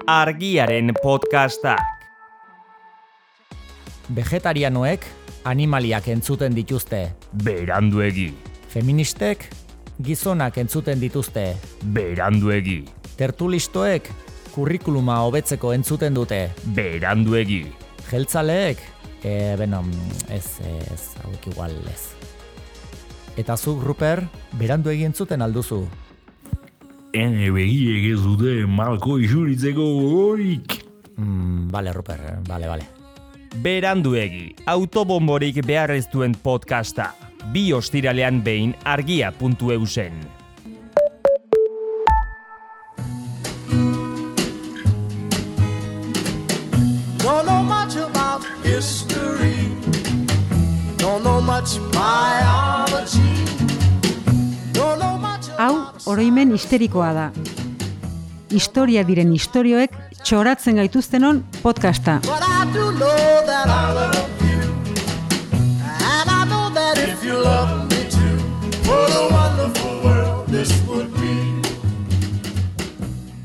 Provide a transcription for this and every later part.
Argiaren podcastak. Vegetarianoek animaliak entzuten dituzte. Beranduegi. Feministek gizonak entzuten dituzte. Beranduegi. Tertulistoek kurrikuluma hobetzeko entzuten dute. Beranduegi. Jeltzaleek, hauek igual ez. Eta zuk, Ruper, beranduegi entzuten alduzu. Ene begiek ez dute malko isuritzeko gogorik. Bale, Ruper, bale. Beranduegi, autobomborik behar ez duen podcasta. 2 ostiralean behin argia.eusen. Don't know much about history. Don't know much biology. Don't know much Hau, oroimen histerikoa da. Historia diren istorioek txoratzen gaituztenon podcasta. But I do know that I love you. And I know that if you love me too, what a wonderful world this would be.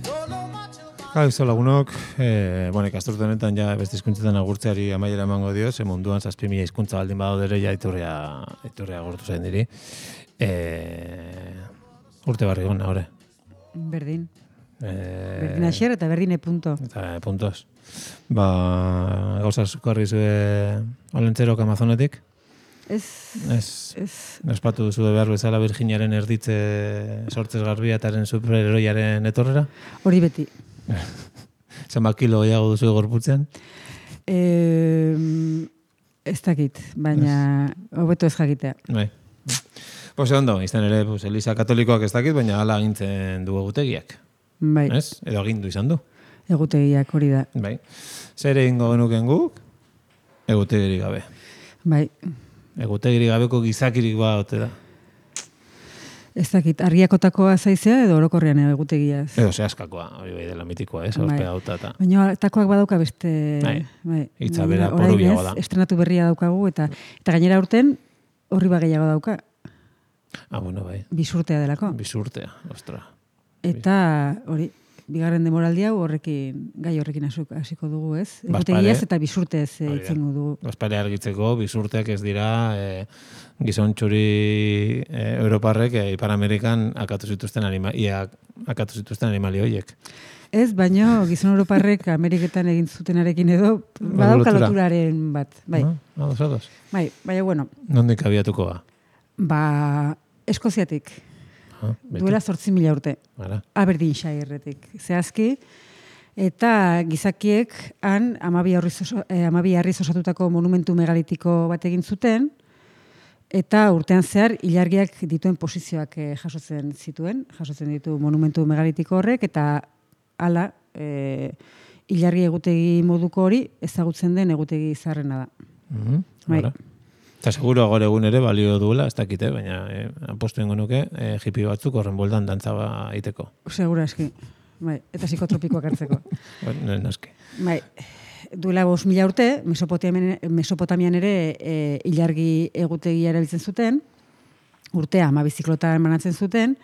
Don't know much about Kaixo lagunok, ikasturte honetan ja beste hizkuntzetan agurtzeari amaiera emango dio, ze munduan 7.000 hizkuntza baldin badaude ere ja iturria agortu zain diri. Urte barri gona, hore. Berdin. Berdin aixer eta berdine punto. Eta puntos. Gauza zukarri zue olentzerok Amazonetik? Ez. Ospatu duzu behar bezala Virginiaren erditze sortzez garbiataren superheroiaren etorrera? Hori beti. Zenbat kilo gehiago duzu gorputzean? Ez dakit, baina hobeto ez jakitea. Bai. Ondo, izan ere, Eliza Katolikoak ez dakit, baina hala agintzen du egutegiak. Bai, Ez? Edo agindu izan du. egutegiak hori da. Bai. Zer egingo genuken guk? Egutegirik gabe. Bai, Egutegirik gabeko gizakirik ote da. ez dakit, argiakotakoa zaizea edo orokorrean egutegiaz. Edo zehaskakoa, hori bai dela mitikoa, ez? Horpea hauta eta... Baina takoak badauka beste... Bai. Hitza Baina bera orain porobiagoa ez, da. Estrenatu berria daukagu eta gainera urten horri gehiago dauka. Bai. Bisurtea delako. Bisurtea, ostra. Eta hori, bigarren demoraldi hau gai horrekin hasiko dugu, ez? Bazpare. Egutegiaz eta bisurtez itzengo dugu. Ospare argitzeko, bisurteak ez dira gizon txuri Europarrek Ipar Amerikan akatu zituzten animali horiek. Ez, baino gizon europarrek Ameriketan egin zutenarekin edo badauka loturaren bat. Bai, Ados. bai, baina bueno, Nondik abiatuko ba? Eskoziatik. Duela 8.000 urte. Ara. Aberdeenshire-etik. Zehazki, eta gizakiek han 12 harriz osatutako monumentu megalitiko bat egin zuten, eta urtean zehar ilargiak dituen posizioak jasotzen ditu monumentu megalitiko horrek, eta hala ilargi egutegi moduko hori ezagutzen den egutegi zaharrena da. Bai. Eta seguro gaur egun ere balio duela, ez dakite, baina apostu ingo nuke hippie batzuk horren boldan dantza egiteko. Segura eski. Bai, eta psikotropikoak hartzeko. Noski. Bai, duela 5.000 urte, Mesopotamian ere ilargi egutegia erabiltzen zuten, urtea 12 ziklotan banatzen zuten,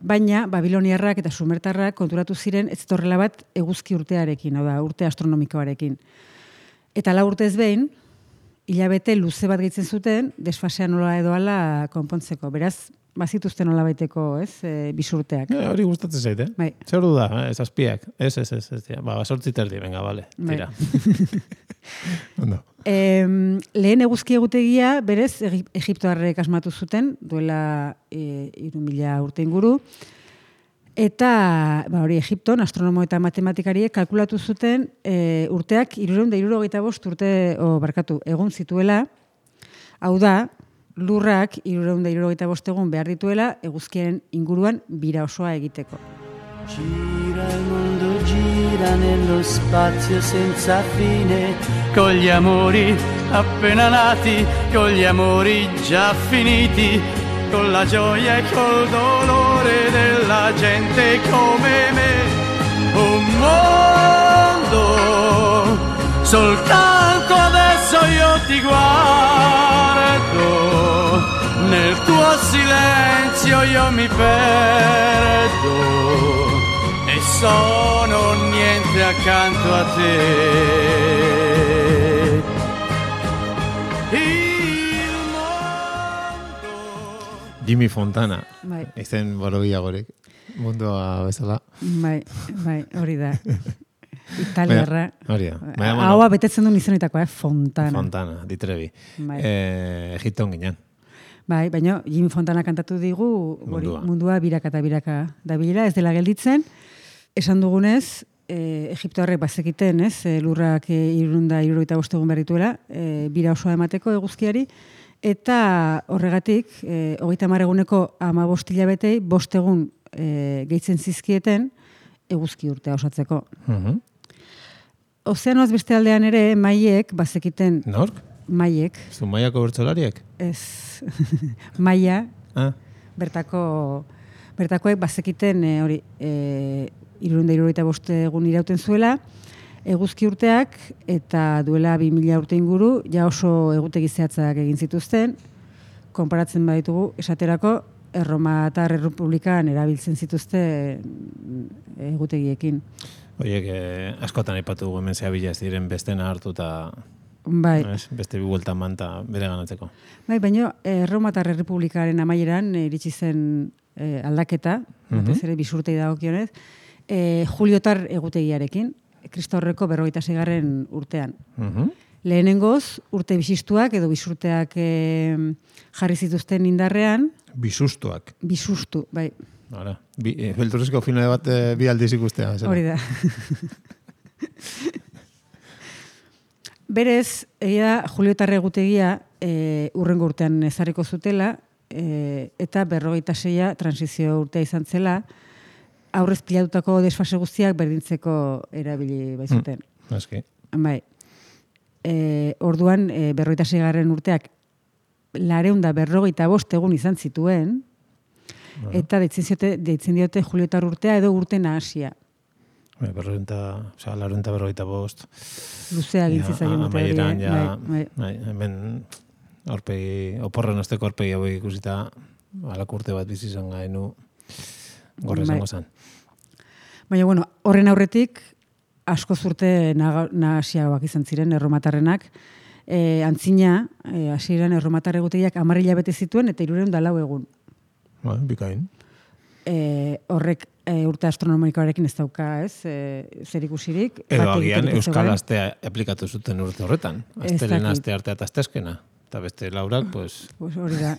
baina Babiloniarrak eta Sumertarrak konturatu ziren ez torrela bat eguzki urtearekin, hau da, urte astronomikoarekin. Eta 4 urtez behin, hilabete luze bat gehitzen zuten, desfasea nola edo ala konpontzeko. Beraz, bazituzten nola baiteko, ez, bisurteak. Hori gustatzen zaite. Bai. Zer du da, zazpiak? Ez. 8 terdi, venga, bale. Tira. Ondo. Lehen eguzki egutegia, berez, Egiptoarrek asmatu zuten, duela 3.000 urte inguru, eta hori Egipton, astronomo eta matematikariek kalkulatu zuten urteak 365 egun zituela, hau da, lurrak 365 egun behar dituela eguzkiaren inguruan bira osoa egiteko. Gira il mondo, gira nello spazio senza fine, con gli amori appena nati, con gli amori già finiti, con la gioia e col dolore della gente come me. Un mondo, soltanto adesso io ti guardo, nel tuo silenzio io mi perdo e sono accanto a te. Il mondo. Jimmy Fontana. Bai. Izen borobiagorek. Mundua bezala. Bai, hori da. Italiarra. Hori da. Haua betetzen duen izanetakoa, Fontana. Fontana, ditrebi. Bai. Egipton ginen. Bai, baina Jimmy Fontana kantatu digu mundua biraka eta biraka dabilela, ez dela gelditzen. Esan dugunez, Egiptoarrek bazekiten, ez, lurrak 375 egun berrituela, bira osoa emateko eguzkiari, eta horregatik, 30 eguneko 15 hilabetei 5 egun gehitzen zizkieten eguzki urtea osatzeko. Ozeanoaz beste aldean ere, maiek bazekiten... Nork? Maiek. Zu maiako bertsolariak? Ez, maia, bertakoek bazekiten hori, 375 egun irauten zuela, eguzki urteak, eta duela 2000 urte inguru, ja oso egutegi zehatzak egin zituzten, konparatzen baditugu, esaterako, Erromatar Errepublikan erabiltzen zituzten egutegiekin. Oiek, askotan aipatu hemen zehabila ez diren bestena hartu eta... Bai. Beste bi bueltan manta bere ganatzeko. Bai, baina Erromatar Errepublikaren amaieran iritsi zen aldaketa, batez ere bisurtei dagokionez, Juliotar egutegiarekin, Kristaurreko 46. urtean. Lehenengoz, urte bisistuak edo bisurteak jarri zituzten indarrean. Bisustuak. Bisustu, bai. Hala, belturrezko finale bat bi aldiz ikustea. Hori da. Berez, egia Juliotar egutegia urrengo urtean ezarriko zutela, eta 46 transizio urtea izan zela, aurrez pilatutako desfase guztiak berdintzeko erabili baizuten. Aski. Bai. Orduan, 46. urteak 455 egun izan zituen, eta deitzen diote Juliotar urtea edo urte nahasia. Larenta 45. Luzea gintzi zaien dute. Hemen oporren osteko aurpegi hau ikusita, alako urte bat bizi izan gainu gorre zango zen. Baina, bueno, horren aurretik, asko zurte nahasiagoak izan ziren erromatarrenak. Antzina, hasieran erromatar egutegiak 10 hilabete zituen eta 304 egun. Bikain. Horrek urte astronomikoarekin ez dauka, ez? Zer ikusirik. Edo agian Euskal Astea aplikatu zuten urte horretan. Astelen aste artea eta astezkena. Eta beste laurak, pues... Hori da.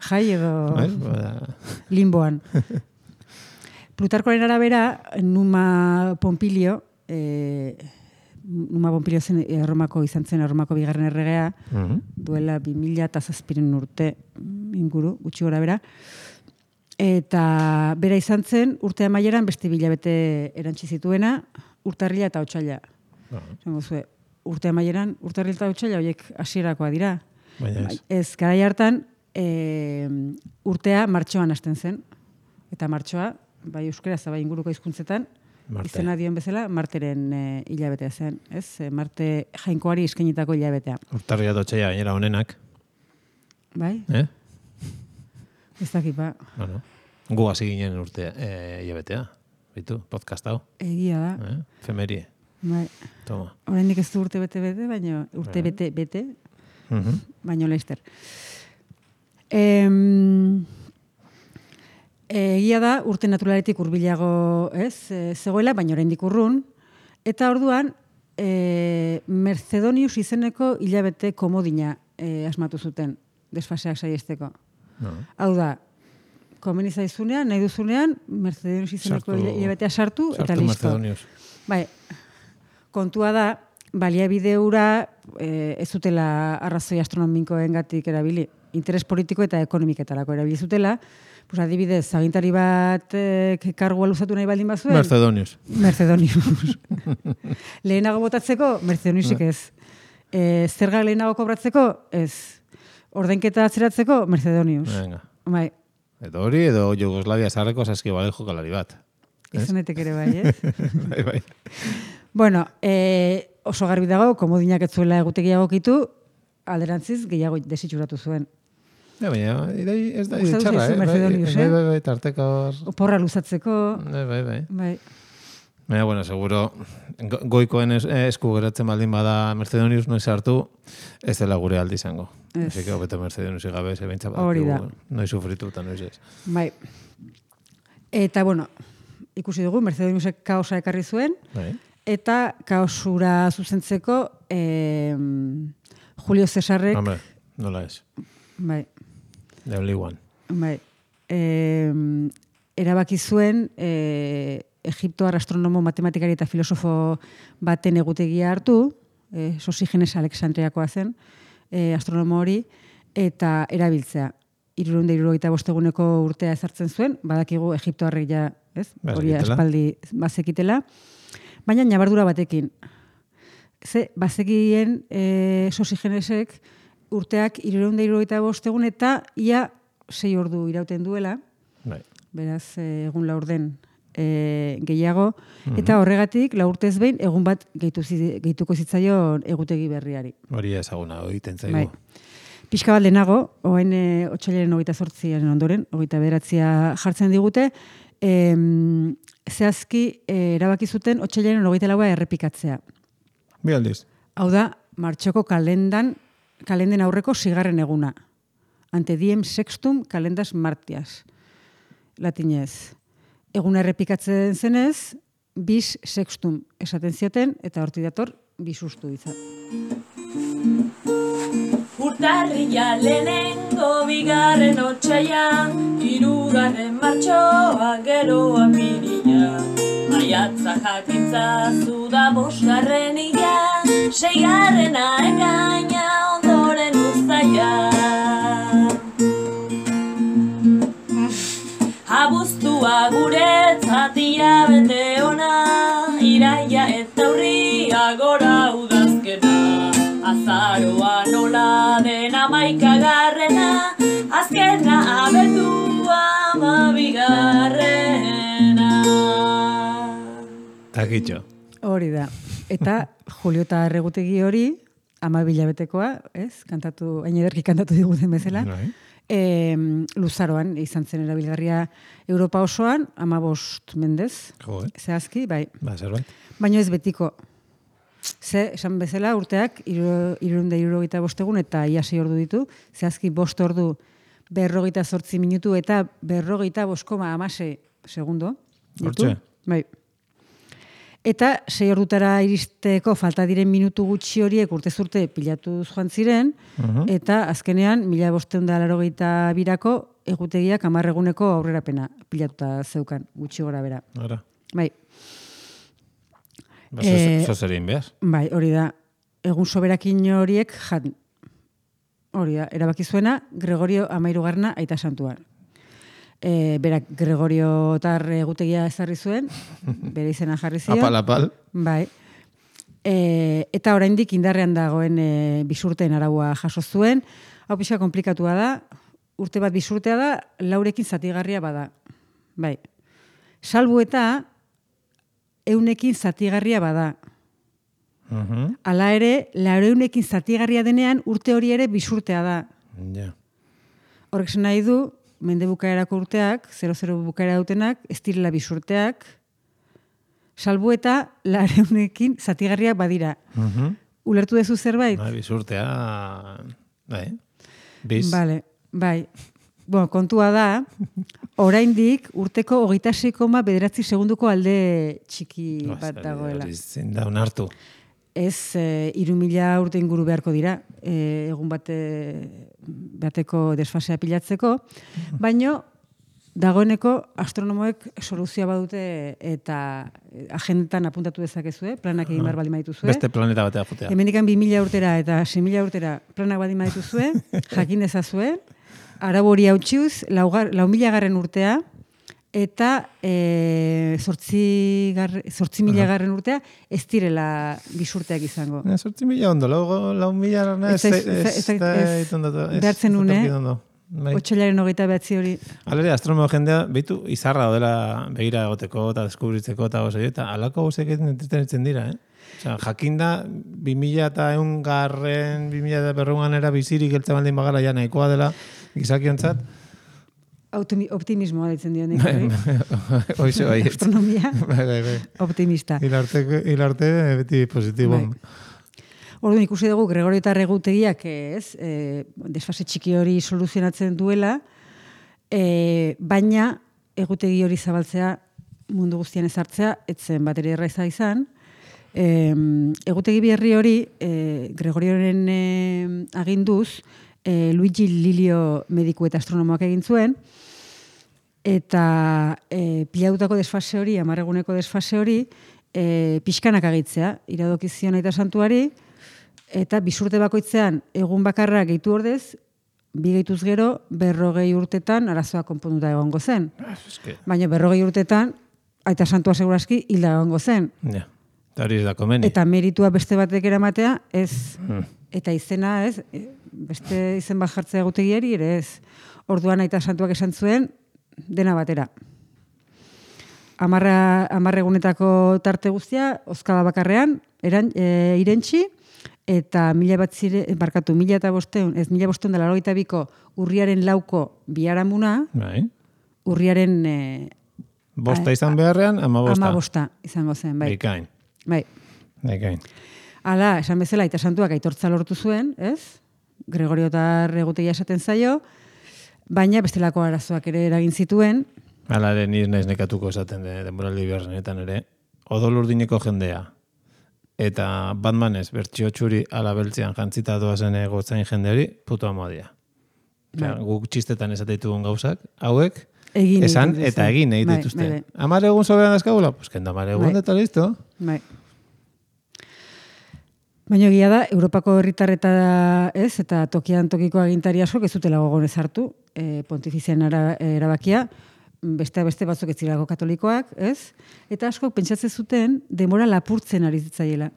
Jai edo limboan. Plutarkoaren arabera, Numa Pompilio zen Erromako izan zen, Erromako 2. erregea, duela 2007 urte inguru, gutxi gora bera. Eta bera izan zen, urte amaieran beste bilabete erantzi zituena, urtarrila eta otsaila. Urte amaieran, urtarrila eta otsaila, horiek hasierakoa dira. Ez, garai hartan, urtea martxoan hasten zen. Eta martxoa, bai euskaraz, bai inguruko hizkuntzetan, izena dion bezala, Marteren hilabetea zen. Ez? Marte jainkoari eskainitako hilabetea. Urtarrila eta otsaila gainera honenak. Bai? Ez dakipa. Gu hasi ginen urte hilabetea. Bitu, podcast hau. Egia da. Femerie. Bai. Toma. Oraindik ez du urte bete-bete, baina urte bete-bete, baina laster. Egia da, urte naturaletik hurbilago zegoela, baina oraindik urrun. Eta orduan, Mercedonius izeneko hilabete komodina asmatu zuten, desfaseak saiesteko. Hau da, komeni zaizunean, nahi duzunean, Mercedonius izeneko hilabetea sartu, eta listo. Bai, kontua da, baliabide hura ez zutela arrazoi astronomikoengatik erabili, interes politiko eta ekonomiketarako erabili zutela. Pues adibidez, agintari bat kargua luzatu nahi baldin bazuen? Mercedonius. Lehenago botatzeko? Mercedoniusik ez. Zerga lehenago kobratzeko? Ez. Ordainketa atzeratzeko? Mercedonius. Bai. Edo hori, edo Jugoslavia zarreko saskibale jokalari bat. Izanetek ere bai, ez? Bai. Bueno, oso garbi dago, komodinak ez zuela egutegia egokitu, alderantziz gehiago desitxuratu zuen. Baina, ez da txarra, Mercedonius, bai, tarteko... Oporra luzatzeko... Bai. Baina, bueno, seguro, goikoen esku geratzen baldin bada Mercedonius noiz hartu, ez dela gure aldi izango. Así que hobeto Mercedonius gabe, ze beintza Hori da. noiz sufritu eta noiz ez. Bai. Eta, bueno, ikusi dugu, Mercedoniusek kaosa ekarri zuen, Bai. eta kaosura zuzentzeko Julio Cesarrek... Hombre, nola ez. Bai, The only one. bai. Erabaki zuen Egiptoar astronomo, matematikari eta filosofo baten egutegia hartu, Sosigenes Alexandriakoa zen, astronomo hori, eta erabiltzea. 375 eguneko urtea ezartzen zuen, badakigu Egiptoarrek ja, ez? Hori aspaldi bazekitela, baina nabardura batekin. Ze, bazekien Sosigenesek urteak 375 egun eta ia 6 ordu irauten duela, Bai. beraz, egun laurden gehiago, eta horregatik laurtez behin egun bat gehituko zitzaion egutegi berriari. Hori ezaguna, egiten zaigu. Bai. Pixka bat lehenago, oain otsailaren 28 ondoren, 29 jartzen digute, zehazki erabaki zuten otsailaren 24 errepikatzea. Bi aldiz. Hau da, martxoko kalenden aurreko 6. eguna. Ante diem sextum calendas martias. Latinez. Eguna errepikatzen zenez, bis sextum esaten zioten, eta hortik dator, bisustu izan. Urtarrila lehenengo bigarren otsaia, 3. martxoa gero apirila. Maiatza jakintza zuda 5. ila, 6. ekaina ondoren uztaia. Abuztua guretzat hilabete ona, iraia eta urria gora udazkena. Azaroa nola den 11. azkena abendua 12. Takitxo. Hori da. Eta Julio eta Erregutegi hori, 12 hilabetekoa, ez? Kantatu, hain ederki kantatu diguten bezala. Bai. Luzaroan izan zen erabilgarria Europa osoan, 15 mendez, Jo, zehazki, bai. Ba, zerbait. Baina ez betiko. Ze, esan bezala, urteak 375 egun eta ia 6 ordu ditu, zehazki 5 ordu 48 minutu eta 45,16 segundo. ditu. Hortxe? Bai. Eta 6 ordutara iristeko falta diren minutu gutxi horiek urtez urte pilatu joan ziren, eta azkenean 1582ko egutegiak 10 eguneko aurrerapena pilatuta zeukan, gutxi gora bera. Ara. Bai. Ba, zozerin behaz. Bai, hori da. Egun soberakin horiek hori da, erabaki zuena Gregorio 13 aita santuan. Berak Gregorio tar egutegia ezarri zuen, bere izena jarri zion. Apal. Bai. Eta oraindik indarrean dagoen bisurteen araua jaso zuen. Hau pixka konplikatua da, urte bat bisurtea da, 4ekin zatigarria bada. Bai. Salbu eta 100ekin zatigarria bada. Hala ere, 400ekin zatigarria denean urte hori ere bisurtea da. Ja. Horrek zen nahi du, mende bukaerako urteak, 00 bukaera dutenak, ez direla bisurteak, salbu eta 400ekin zatigarriak badira. Ulertu dezu zerbait? Bai, bisurtea... Bai. Biz. Vale, bai. Bueno, kontua da, oraindik urteko 26,9 segunduko alde txiki bat dagoela. Zin da onartu. Ez, 3.000 urte inguru beharko dira, egun bateko desfasea pilatzeko, baino dagoeneko astronomoek soluzioa badute eta agendan apuntatu dezakezue, planak egin behar baldin badituzue. Beste planeta batea jotea. Hemendikan 2.000 urtera eta 6.000 urtera planak baldin badituzue, jakin dezazue, arau hori hautxiuz, 4.000 urtea, eta 8.000 urtea ez direla bisurteak izango. 8.000 ondo, 4.000 behartzen une, otsailaren 29 hori. Alere, astronomo jendea, behitu, izarra dela begira egoteko eta deskubritzeko eta gozai, eta alako gozek entretenitzen dira, Osea, jakinda, 2100 2100 era bizirik eltzen baldin bagara ja nahikoa dela gizakiontzat, Optimismoa ditzen dio nik. Hoize bai. Astronomia Bai. optimista. Hilarte beti positibo. Orduan ikusi dugu Gregorio eta Egutegiak desfase txiki hori soluzionatzen duela, baina egutegi hori zabaltzea mundu guztian ezartzea, etzen bateri erraiza izan. Egutegi berri hori Gregorioren aginduz Luigi Lilio mediku eta astronomoak egin zuen, eta pilatutako desfase hori, 10 eguneko desfase hori, pixkanak agitzea, iradokizion aita santuari, eta bisurte bakoitzean egun bakarra gehitu ordez, bi gehituz gero, 40 urtetan arazoa konponduta egongo zen. Baina 40 urtetan, aita santua segurazki hilda egongo zen. Ja, eta hori ez da komeni. Eta meritua beste batek eramatea, ez. Eta izena, ez, beste izen bat jartzea egutegiari, ere ez. Orduan aita santuak esan zuen, dena batera. 10 egunetako tarte guztia, oskala bakarrean, irentxi, eta 1582ko urriaren 4ko biharamuna, urriaren... Bosta izan beharrean, 15. 15 izango zen, bai. Bikain. Bai. Hala, esan bezala, aita santuak aitortza lortu zuen, ez? Gregorio eta Egutegia esaten zaio, baina bestelako arazoak ere eragin zituen. Hala ere, nire naiz nekatuko esaten denboraldi beharrenetan ere. Odol urdineko jendea. Eta Batmanez, bertxio txuri ala beltzean jantzita doazen gotzain jendeari, puto amodia. Guk txistetan esateitugun gauzak, hauek, esan eta egin egin dituzte. 10 egun soberan dazkagula? Pues kenda 10 egun eta listo. Bai. Baina egia da, Europako herritar eta ez, eta tokian tokiko agintari askok ez zutela gogon ezartu, pontifizian erabakia, beste batzuk ez zirako katolikoak, ez? Eta askok pentsatzen zuten denbora lapurtzen ari zitzaiela.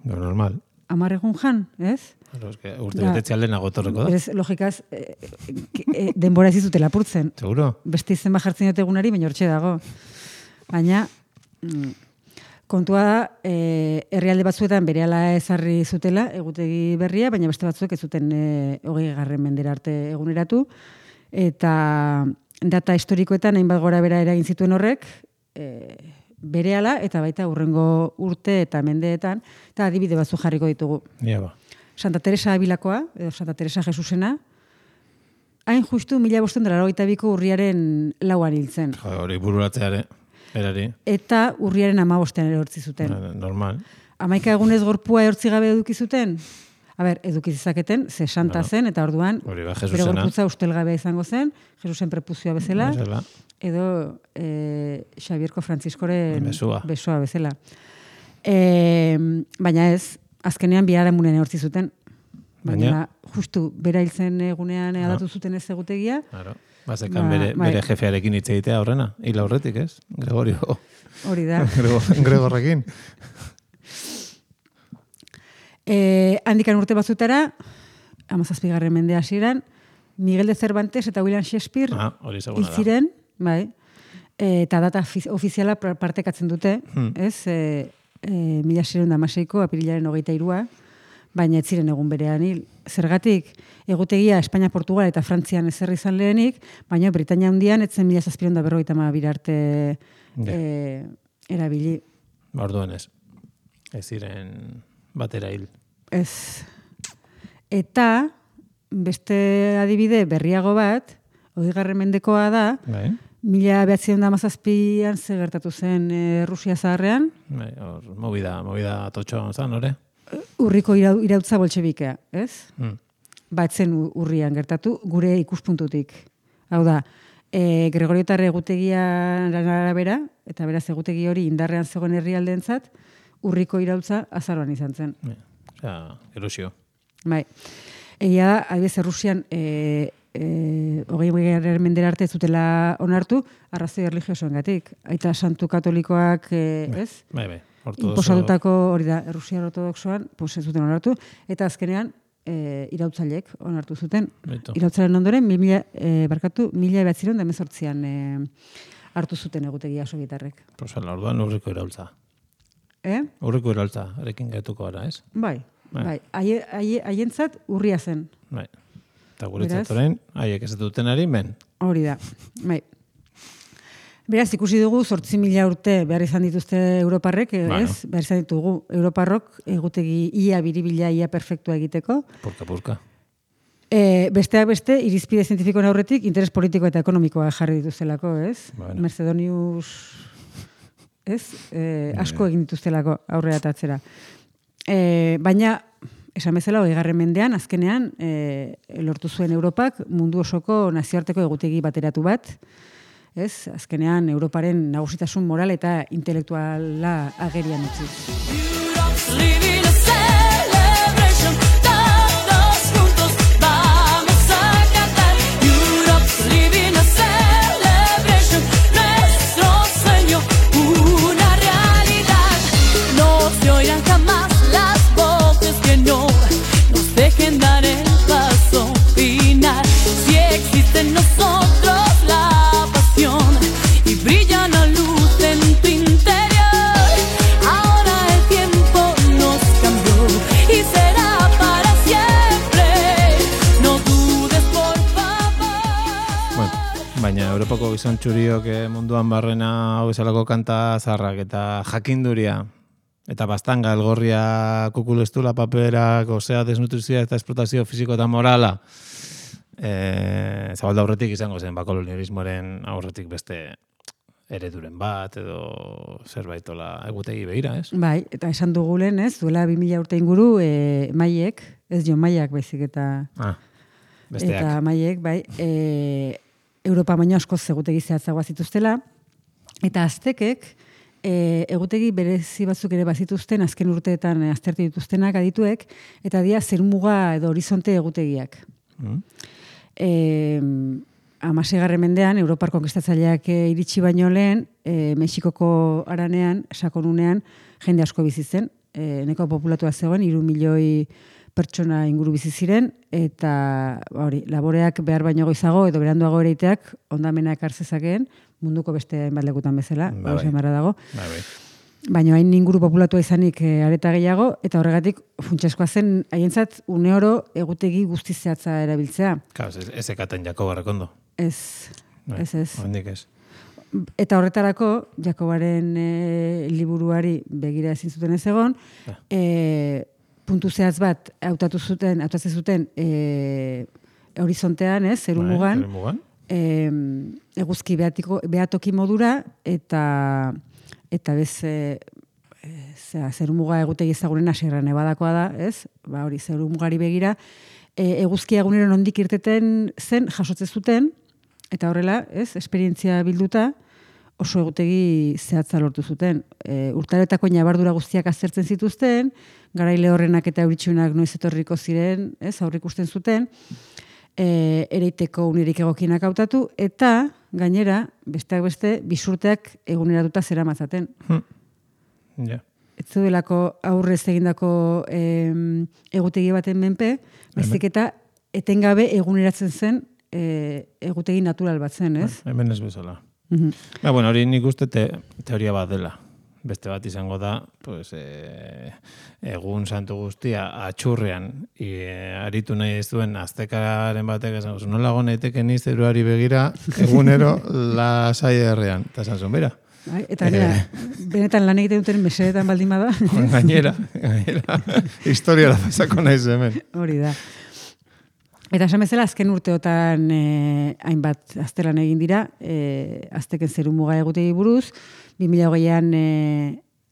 Normal. 10 egun jan, ez? Urte betetze alden agotorreko da. Berez, logikaz, denbora ez zute lapurtzen. Seguro. Beste izen jartzen dut egunari, baina hortxe dago. Baina, kontua da, herrialde batzuetan berehala ezarri zutela, egutegi berria, baina beste batzuek ez zuten 20. mendera arte eguneratu, eta data historikoetan hainbat gora bera eragin zituen horrek, berehala eta baita hurrengo urte eta mendeetan, eta adibide batzu jarriko ditugu. Santa Teresa Abilakoa, edo Santa Teresa Jesusena, hain justu 1582ko urriaren 4an hiltzen. Hori bururatzeare, erari. Eta urriaren 15an erortzi zuten. Normal. 11 egunez gorpua erortzi gabe eduki zuten? Eduki zezaketen, ze santa zen, eta orduan, bere gorputza ustelgabea izango zen, Jesusen prepuzioa bezala, edo Xabierko Frantziskoren besoa bezala. Baina ez, azkenean biharamunen eurtzi zuten. Baina justu, bera hiltzen egunean aldatu zuten ez egutegia. Bazekan bere jefearekin hitz egitea horrena, hila horretik ez? Gregorio. Hori da. Gregorrekin. Handikan urte batzutara, 17. mende hasieran, Miguel de Cervantes eta William Shakespeare hil ziren, bai, eta data ofiziala partekatzen dute, ez? 1616ko apirilaren 23a, baina ez ziren egun berean hil. Zergatik, egutegia Espainia, Portugal eta Frantzian ezerri izan lehenik, baina Britania Handian etzen 1752 arte erabili. Orduan ez. Ez ziren batera hil. Ez. Eta beste adibide berriago bat, 20. mendekoa da, 1917an ze gertatu zen Rusia zaharrean. Movida totxoa zan, hori? Urriko irautza boltxebikea, ez? Batzen urrian gertatu, gure ikuspuntutik. Hau da, Gregorio eta Egutegiaren arabera, eta beraz egutegi hori indarrean zegoen herrialdeentzat, urriko irautza azaroan izan zen. Erosio. Bai. Egia da, adibidez, Errusian 20. mendera arte zutela onartu, arrazoi erlijiosoengatik. Aita santu katolikoak, ez? Bai. Inposatutako hori da, Errusiar ortodoxoan, ez zuten onartu, eta azkenean irautzailek onartu zuten. Irautzaren ondoren, 1918an hartu zuten egutegia sovietarrek. Orduan urriko iraultza. Urriko iraultza, erekin gaituko gara, ez? Bai. Haientzat urria zen. Bai. Eta guretzat Beraz? orain, haiek ez dutenari men. Hori da, bai. Beraz, ikusi dugu 8.000 urte behar izan dituzte Europarrek, Bueno. ez? Behar izan ditugu Europarrok egutegi ia biribila, ia perfektua egiteko. Purka. Besteak beste, irizpide zientifikoen aurretik, interes politiko eta ekonomikoa jarri dituztelako, ez? Bueno. Mercedonius, ez? Asko egin dituztelako aurrera eta atzera. Baina, esan bezala, 20. mendean, azkenean, lortu zuen Europak mundu osoko nazioarteko egutegi bateratu bat, ez? Azkenean, Europaren nagusitasun moral eta intelektuala agerian utzi. Living a celebration, todos juntos vamos a cantar. Europe's living a celebration, nuestro sueño, una realidad. No se oirán jamás las voces que no nos dejen dar el paso final. Si existe en nosotros la pasión y brilla una luz en tu interior, ahora el tiempo nos cambió y será para siempre. No dudes, por favor. Bueno, baina Europako gizon txuriok munduan barrena hau bezalako kanta zarrak eta jakinduria eta bastanga elgorria kukulestula paperak, osea desnutrizioa eta esplotazio fisiko eta morala zabalda aurretik izango zen kolonialismoaren aurretik beste ereduren bat edo zerbaitola egutegi begira, ez? Bai, eta esan dugu lehen, ez? Duela 2000 urte inguru, maiek, ez jo maiak baizik eta... Besteak. Eta maiek, bai, Europa baino askoz egutegi zehatzagoa zituztela, eta aztekek egutegi berezi batzuk ere bazituzten, azken urteetan aztertu dituztenak adituek, eta dia zerumuga edo horizonte egutegiak. 16. mendean, Europar konkistatzaileak iritsi baino lehen, Mexikoko haranean, sakonunean, jende asko bizi zen, neko populatua zegoen, 3 milioi pertsona inguru bizi ziren, eta hori, laboreak behar baino goizago edo beranduago ereiteak ondamena ekar zezakeen, munduko beste hainbat lekutan bezala, hori dago. Baina hain inguru populatua izanik areta gehiago, eta horregatik funtsezkoa zen haientzat une oro egutegi guztiz zehatza erabiltzea. Claro, ez ekaten Jakobarrek ondo. Ez. Hondik ez. Eta horretarako, Jakobaren liburuari begira ezin zuten ez egon, puntu zehatz bat hautatzen zuten horizontean, ez, zerumugan, eguzki behatoki modura, eta bez zerumuga egutegi ezagunena Sierra Nevadakoa da, ez? Ba hori zerumugari begira, eguzkia egunero nondik irteten zen jasotzen zuten, eta horrela, ez, esperientzia bilduta, oso egutegi zehatza lortu zuten. Urtaretako nabardura guztiak aztertzen zituzten, garaile horrenak eta euritsunak noiz etorriko ziren, ez, aurrikusten zuten, ereiteko unerik egokienak hautatu, eta gainera, besteak beste, bisurteak eguneratuta zera matzaten. Ez zudelako aurrez egindako egutegi baten menpe, baizik eta etengabe eguneratzen zen egutegi natural bat zen, ez? Hemen ez bezala. Bueno, hori nik uste teoria bat dela. Beste bat izango da, pues, egun santu guztia atxurrean aritu nahi ez duen aztekaren batek esan zuen, nola naiteke ni zeruari begira egunero lasai herrean. Eta esan zuen, bera. Eta benetan lan egiten duten mesedetan baldin bada. Gainera, historia da pasako naiz hemen. Hori da. Eta esan bezala, azken urteotan hainbat aztelan egin dira, azteken zerumuga egutegi buruz, 2008an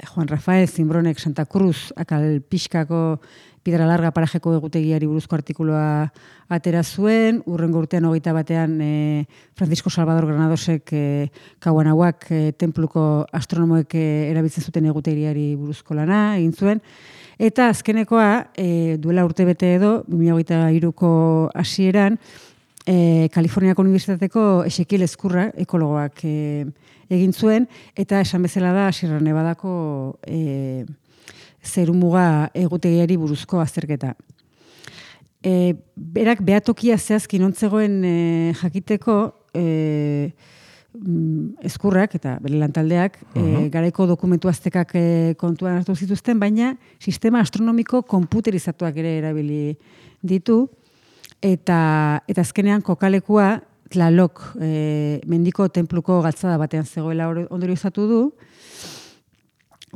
Juan Rafael Zimbronek Santa Cruz akal pixkako Piedra Larga parajeko egutegiari buruzko artikuloa atera zuen, urrengo urtean 21an Francisco Salvador Granadosek Kauanahuak tenpluko astronomoek erabiltzen zuten egutegiari buruzko lana egin zuen, eta azkenekoa duela urte bete edo 2023ko hasieran Kaliforniako Unibertsitateko Ezekiel Ezkurra ekologoak egin zuen, eta esan bezala da Sierra Nevadako zerumuga egutegiari buruzko azterketa. Berak behatokia zehazki nontzegoen jakiteko Ezkurrak eta bere lantaldeak garaiko dokumentu aztekak kontuan hartu zituzten, baina sistema astronomiko konputerizatuak ere erabili ditu, eta azkenean kokalekua Tlalok mendiko tenpluko galtzada batean zegoela ondoriozatu du,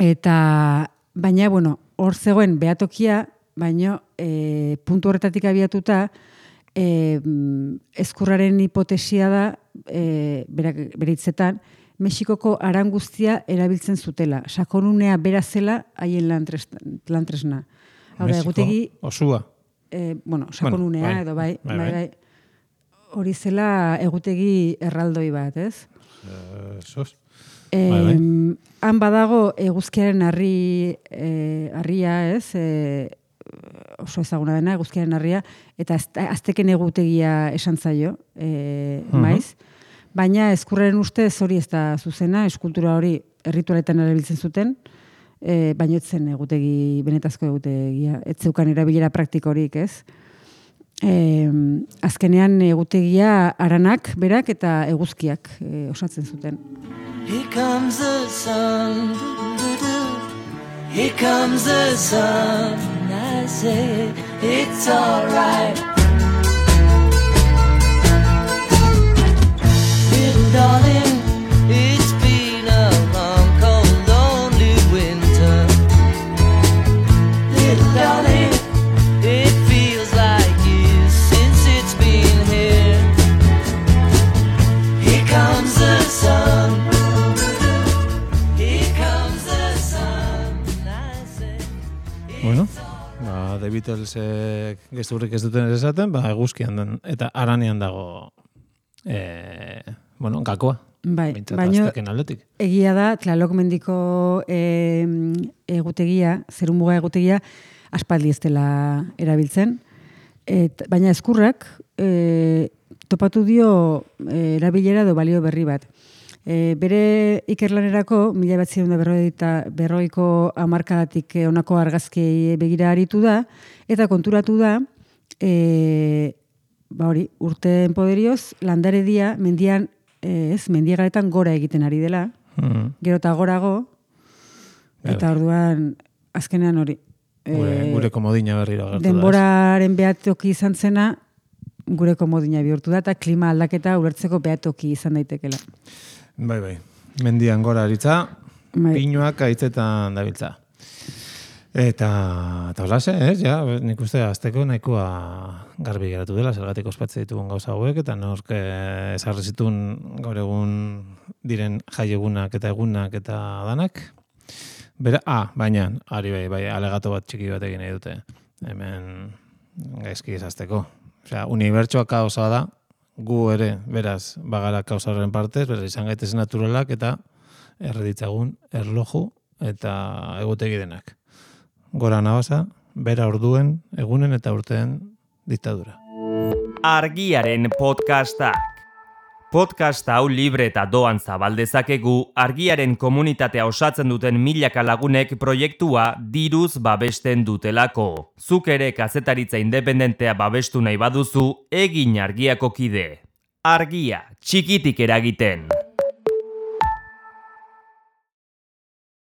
eta baina, bueno, hor zegoen behatokia, baina puntu horretatik abiatuta, ezkurraren hipotesia da, bere hitzetan, Mexikoko aran guztia erabiltzen zutela. Sakonunea bera zela haien lantresna. Hau da, egutegi... Osua. Bueno, sakonunea Bueno, edo bai. Hori zela egutegi erraldoi bat, ez? Sos. Han badago eguzkiaren harria, ez? Oso ezaguna dena, eguzkiaren harria, eta azteken egutegia esan zaio, maiz. Baina ezkurraren ustez hori ez da zuzena, eskultura hori erritualetan erabiltzen zuten, baina ez zen egutegi, benetazko egutegia, ez zeukan erabilera praktikorik, ez? Azkenean egutegia aranak, berak eta eguzkiak osatzen zuten. Here comes the sun, here comes the sun, I say it's alright. Little darling, it's been a long, cold, lonely winter. Little darling, it feels like years since it's been here. Here comes the sun. Here comes the sun, I say. Bueno, The Beatlesek gezurrik ez duten esaten, eguzkian den, eta aranean dago gakoa. Bai, baina aldetik. Egia da, Tlalok mendiko egutegia, zerumuga egutegia, aspaldi ez dela erabiltzen. Baina ezkurrak topatu dio erabilera edo balio berri bat. Bere ikerlanerako, 1940ko hamarkadatik honako argazkiei begira aritu da, eta konturatu da, urteen poderioz, landaredia mendian, mendiagaretan gora egiten ari dela, gero eta gorago, eta orduan, azkenean hori. Gure komodina berriro agertu da. Denboraren behatoki izan zena, gure komodina bihurtu da, eta klima aldaketa ulertzeko behatoki izan daitekela. Bai. Mendian gora aritza, pinuak aitzetan dabiltza. Eta holase, ez, ja, nik uste azteko nahikoa garbi geratu dela, zergatik ospatze ditugun gauza hauek, eta nork ezarri zituen gaur egun diren jaiegunak eta egunak eta danak. Baina, ari bai, alegato bat txiki bat egin nahi dute. Hemen gaizki izazteko. Osea, unibertsoa kaosa da, gu ere, beraz, bagara kaosaren partez, beraz, izan gaitezen naturalak eta erreditzagun erloju eta egutegi denak. Gora nabasa, bera orduen, egunen eta urteen diktadura. Argiaren podcastak. Podcast hau libre eta doan zabaldezakegu Argiaren komunitatea osatzen duten milaka lagunek proiektua diruz babesten dutelako. Zuk ere kazetaritza independentea babestu nahi baduzu, egin Argiako kide. Argia, txikitik eragiten.